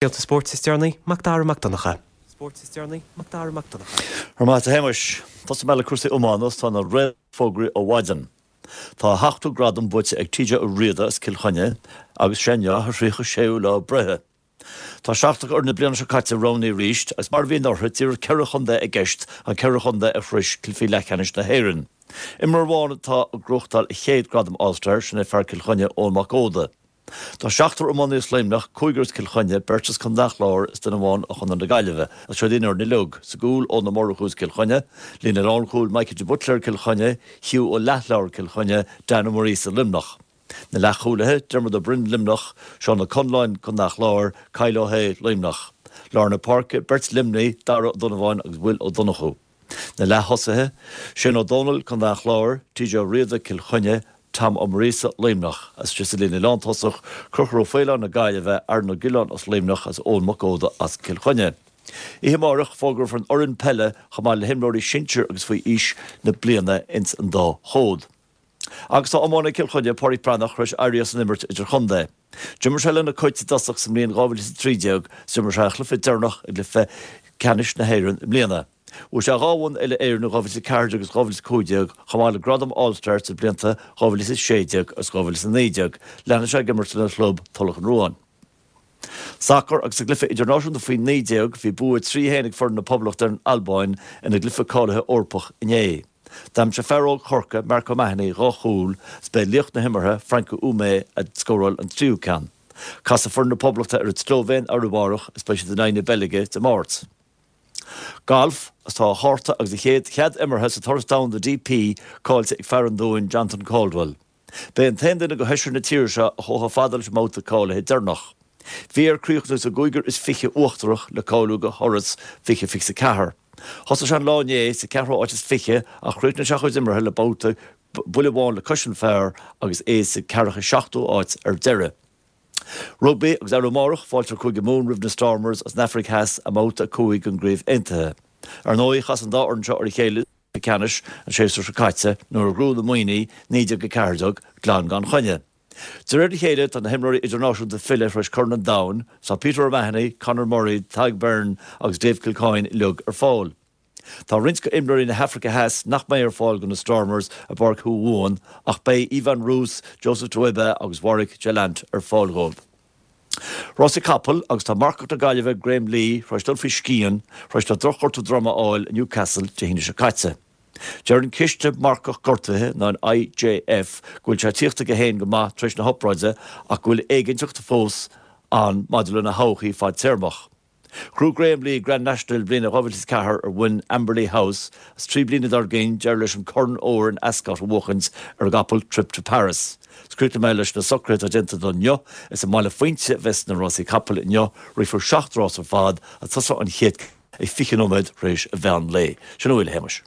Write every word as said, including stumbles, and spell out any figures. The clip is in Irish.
Scéalta spóirt is deireanaí, Mac Dara Mac Donncha. Spóirt is deireanaí, Mac Dara Mac Donncha. Ar maith a Shéamais, Tosóidh mé le cúrsaí iomána tá na réamhfhógraí ó mhaidin. Tá a sheachtú gradam buaite ag TJ Ó Riada as Cill Chainnigh agus sé inniu a thríocha séú lá breithe. Tá seachtar d'fhoireann na bliana seo caite roghnaithe arís agus mar a bhí anuraidh díreach ceithre chontae i gceist an ceithre chontae a shroich cluichí leathcheannais na hÉireann. Imreoir amháin atá ag gnóthachtáil a chéad gradam All-Star sin é fear Cill Chainnigh Eoin Mac Óda. Tá seachtar iománaí as Luimneach, cúigear as Cill Chainnigh, beirt as Contae an Chláir is duine amháin ó Chontae na Gaillimhe, agus seo an fhoireann uilig, sa gcúl Eoin Ó Murchú as Cill Chainnigh, líne lánchúil Mikey de Buitléar Cill Chainnigh, Hugh Ó Leathleabhair Cill Chainnigh, Dan Ó Muiríosa Luimneach. Na leathchúlaithe, Diarmuid Ó Broin Luimneach, Seán Ó Conláin Contae an Chláir, Kyle Ó hAodha Luimneach. Lár na páirce, beirt Luimnigh, Dara Ó Donnabháin agus Will Ó Donnchú. Na leath-thosaithe, Shane Ó Dónaill Contae an Chláir, TJ Ó Riada Cill Chainnigh, Tom Ó Muiríosa Luimneach, agus sa líne lántosach, Conchúr Ó Faoláin na Gaillimhe, Aaron Ó Giolláin as Luimneach agus Eoin Mac Óda as Cill Chainnigh. Oíche amárach fógrófar an fhoireann peile chomh maith le himreoirí sinsir agus faoi aois na bliana ins an dá chód. Agus tá iománaí Cill Chainnigh Pádraig Breathnach tar éis éirí as an imirt idirchontae. D'imir sé le na Cait i dtosach sa mbliain dhá mhíle is a trí déag, d'imir sé a chluiche deireanach i gcluiche ceannais na hÉireann i mbliana. Bhuaigh sé dhá bhonn uile-Éireann in dhá mhíle is a ceathair déag agus dhá mhíle is a cúig déag, chomh maith le gradam All-Star sna blianta dhá mhíle is a sé déag agus dhá mhíle is a naoi déag. Leanfaidh sé ag imirt lena chlub Tulach an Ruáin. Sacar agus sa gcluiche idirnáisiúnta faoi naoi déag bhí bua trí haon ag foireann na Poblachta ar an Albáin ina gcluiche cáilithe Eorpach inné. D'aimsigh fear óg Chorcaí, Mark O'Mahony, dhá chúl, is b'é laoch na himeartha, Franco Umeh, a scóráil an tríú ceann. Casfaidh foireann na Poblachta ar an tSlóivéin arú amárach is beidh siad in aghaidh na Beilge Dé Máirt. Galf, is tá a chárta agus a chéad chead imeartha sa Turas Domhanda DP caillte ag fear an Dúin Jonathan Caldwell. B'é an t-aon duine de sheisear na tíre seo a chuaigh chomh fada leis an mbabhta cáilithe deireanach. Bhí air críochnú sa gcúigear is fiche uachtarach le cáiliú do thuras fiche fiche a ceathair. Thosaigh sé an lá inné sa ceathrú háit is fiche ach chríochnaigh sé a chuid imeartha le babhta buille amháin le cois an phar agus é sa ceathracha seachtú áit ar deireadh. Rugbaí agus arú amárach fáilte Cúige Mumhan roimh na Stormers as an Afraic Theas i mbabhta a cúig den gCraobh Aontaithe. Ar ndóigh chas an dá fhoireann seo ar a chéile sa ceannais an séasúr seo caite nuair a ghnóthaigh na Muimhnigh naoi déag a ceathair déag glan gan choinne. De réir a chéile tá na himreoirí idirnáisiúnta file tar éis Corn an Domhain, tá Peter O'Mahony, Conor Murray, Tadhg Beirne agus Dave Kilcoyne uilig ar fáil. Tá roinnt d'imreoirí na hAfraice Theas nach mbeidh ar fáil do na Stormers i bPáirc Mhumhan ach beidh Evan Roos, Joseph Tauaefa agus Warrick Gelant ar fáil dóibh. Rásaí capall agus tá marcach na Gaillimhe Graham Lee tar éis dul faoi scian tar éis dó drochghortú droma a fháil i Newcastle Dé hAoine seo caite. Deir an ciste marcach gortaithe ná an IJF go bhfuil sé ag tíocht chuige féin go maith tar éis na hobráide ach go bhfuil éiginnteacht fós ann maidir lena thodhchaí fadtéarmach. Ghnóthaigh Graham Lee Grand National bliana dhá mhíle is ceathair ar mhuin Amberleigh House as trí bliana dár gcionn d'éirigh leis an Corn Óir in Ascot a bhuachaint ar an gcapall Trip to Paris. Críochnóidh mé leis na socruithe atá déanta do inniu is i mBaile Phuínte a bheas na rásaí capall inniu rithfear seacht rás ar fad ag tosú an chéad ag fiche nóiméad tar éis an mheán lae. Sin a bhfuil a Shéamais.